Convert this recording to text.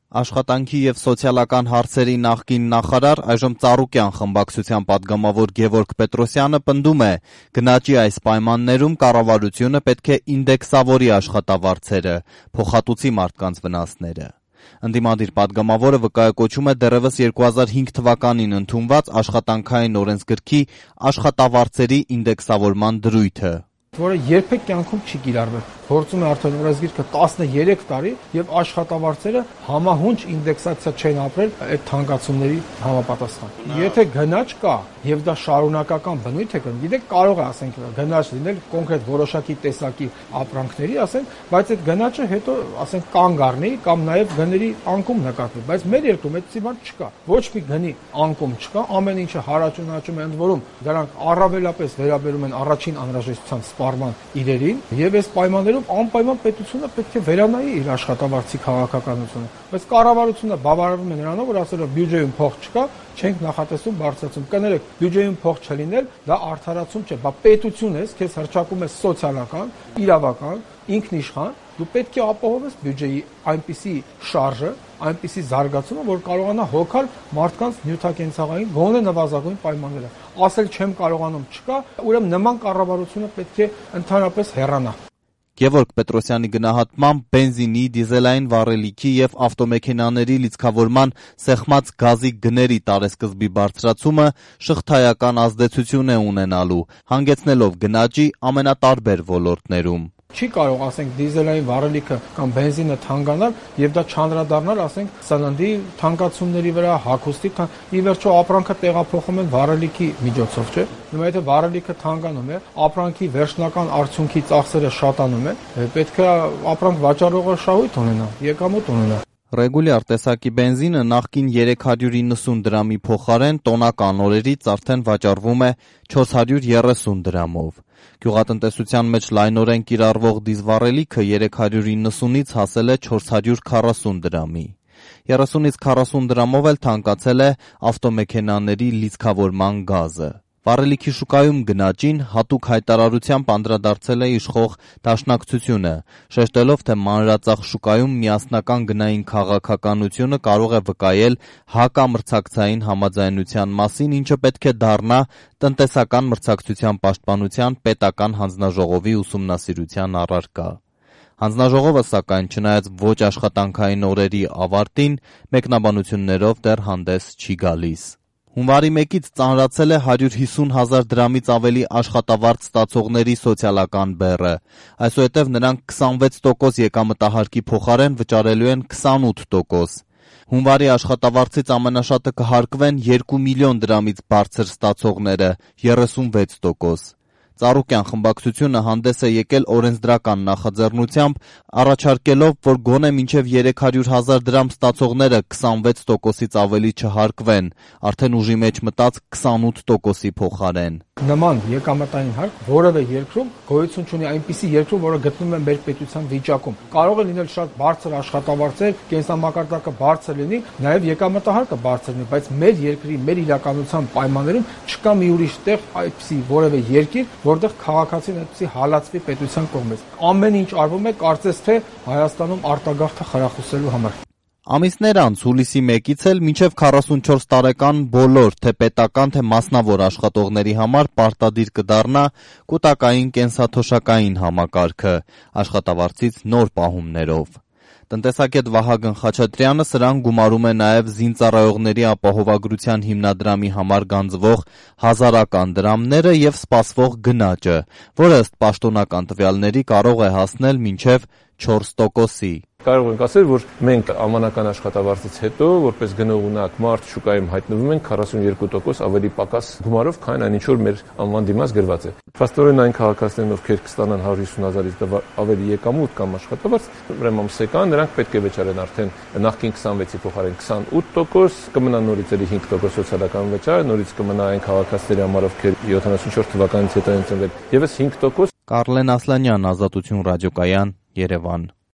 Աշխատանքի և սոցիալական հարցերի նախկին նախարար, այժմ Ծառուկյան խմբակցության պատգամավոր Գևորգ Պետրոսյանը պնդում է, գնաճի այս պայմաններում կառավարությունը պետք է ինդեքսավորի աշխատավարձերը, փոխհատուցի մարդկանց վնասները։ Ընդդիմադիր պատգամավորը վկայակոչում է դեռևս 2005 թվականին ընդունված աշխատանքային օրենսգրքի աշխատավարձերի ինդեքսավորման դրույթը, որը երբեք կյանքում չի կիրառվել։ Գործում է արդեն օրենսգիրքը 13 տարի եւ աշխատավարձերը համահունչ ինդեքսացիա չեն ապրել այդ թանկացումների համապատասխան։ Եթե գնաճ կա եւ դա շարունակական բնույթ է կրում, գիտեք, կարող է ասենք գնաճ լինել կոնկրետ որոշակի տեսակի ապրանքների, ասենք, բայց այդ գնաճը հետո ասենք կանգ առնի կամ նաեւ գների անկում նկատվի, բայց մեր երկրում այդպիսի բան չկա։ Ոչ մի գնի անկում չկա, ամեն ինչը հարաճունաճում է, ընդ որում դրանք առավելապես վերաբերում են առաջին անհրաժեշտության սպառման իրերին եւ այս պայմաններում անպայման պետությունը պետք է վերանայի իր աշխատավարձի քաղաքականությունը, բայց կառավարությունը բավարարվում է նրանով, որ ասել է բյուջեում փող չկա, չենք նախատեսում բարձրացում։ Կներեք, բյուջեում փող չլինել, դա արդարացում չէ, բա պետություն ես, քեզ հրճակում է սոցիալական, իրավական, ինքնիշխան, դու պետք է ապահովես բյուջեի այնպիսի շարժը, այնպիսի զարգացումը, որ կարողանա հոգալ մարդկանց նյութակենցաղային գոնե նվազագույն պայմանները։ Ասել չեմ կարողանում չկա, ուրեմն նման կառավարությունը պետք է ընդհանրապես հեռանա։ Գևորգ Պետրոսյանի գնահատմամբ բենզինի, դիզելային վառելիքի եւ ավտոմեքենաների լիցքավորման սեղմած գազի գների տարեսկզբի բարձրացումը շղթայական ազդեցություն է ունենալու, հանգեցնելով գնաճի ամենատարբեր ոլորտներում։ Չի կարող, ասենք, դիզելային վառելիքը կամ բենզինը թանկանալ եւ դա չանդրադառնալ, ասենք, սննդի թանկացումների վրա, հագուստի, ի վերջո ապրանքը տեղափոխում են վառելիքի միջոցով, չէ՞։ Նույնիսկ եթե վառելիքը թանկանում է, ապրանքի վերջնական արդյունքի ծախսերը շատանում են, պետք է ապրանք վաճառողը շահույթ ունենա, եկամուտ ունենա։ Ռեգուլյար տեսակի բենզինը նախկին 390 դրամի փոխարեն տոնական օրերից արդեն վաճառվում է 430 դրամով։ Գյուղատնտեսության մեջ լայնորեն կիրառվող դիզվառելիքը 390-ից հասել է 440 դրամի։ 30-ից 40 դրամով էլ թանկացել է ավտոմեքենաների լիցքավորման գազը։ Վառելիքի շուկայում գնաճին հատուկ հայտարարությամբ անդրադարձել է իշխող դաշնակցությունը, շեշտելով, թե մանրածախ շուկայում միասնական գնային քաղաքականությունը կարող է վկայել հակամրցակցային համաձայնության մասին, ինչը պետք է դառնա տնտեսական մրցակցության պաշտպանության պետական հանձնաժողովի ուսումնասիրության առարկա։ Հանձնաժողովը, սակայն, չնայած ոչ աշխատանքային օրերի ավարտին, մեկնաբանություններով դեռ հանդես չի գալիս։ Հունվարի 1-ից ծանրացել է 150,000 դրամից ավելի աշխատավարձ ստացողների սոցիալական բեռը, այսուհետև նրանք 26% եկամտահարկի փոխարեն վճարելու են 28%։ Հունվարի աշխատավարձից ամենաշատը կհարկվեն 2 միլիոն դրամից բարձր ստացողները, 36%։ Ծառուկյան խմբակցությունը հանդես է եկել օրենսդրական նախաձեռնությամբ, առաջարկելով, որ գոնե մինչև 300,000 դրամ ստացողները 26%-ից ավելի չհարկվեն, արդեն ուժի մեջ մտած 28%-ի փոխարեն։ Նման եկամտային հարկ որևէ երկրում գոյություն չունի, այնպիսի երկրում, որը գտնվում է մեր պետության վիճակում։ Կարող է լինել շատ բարձր աշխատավարձեր, կենսամակարդակը բարձր լինի, նաև եկամտահարկը բարձր լինի, բայց մեր երկրի, մեր իրականության պայմաններում չկա մի ուրիշ տեղ այդպիսի որևէ երկիր, որտեղ քաղաքացին այդպիսի հալածվի պետության կողմից։ Ամեն ինչ արվում է կարծես թե Հայաստանում արտագաղթը խրախուսելու համար։ Ամիսներ անց հուլիսի 1-ից էլ մինչև 44 տարեկան բոլոր թե պետական, թե մասնավոր աշխատողների համար պարտադիր կդառնա կուտակային կենսաթոշակային համակարգը աշխատավարձից նոր պահումներով։ Տնտեսագետ Վահագն Խաչատրյանը սրան գումարում է նաև զինծառայողների ապահովագրության հիմնադրամի համար գանձվող հազարական դրամները եւ սպասվող գնաճը, որը ըստ պաշտոնական տվյալների կարող է հասնել մինչև 4%-ի։ Կարող ենք ասել, որ մենք ամանական աշխատավարձից հետո, որպես գնողունակ մարդ շուկայում հայտնվում ենք 42% ավելի պակաս գումարով, քան այն ինչ որ մեր անվան դիմաց գրված է։ Փաստորեն այն քաղաքացիներն, ովքեր կստանան 150,000-ից ավելի եկամուտ կամ աշխատավարձ, ուրեմն ամսական, նրանք պետք է վճարեն արդեն նախկին 26-ի փոխարեն 28%, կմնա նորից էլի 5% սոցիալական վճար, նորից կմնա այն քաղաքացիների համար, ովքեր 74 թվականից հետո են ծնվել, եւս 5%։ Կարլեն Ասլանյան, Ազատություն ռադիոկայան, Երևան։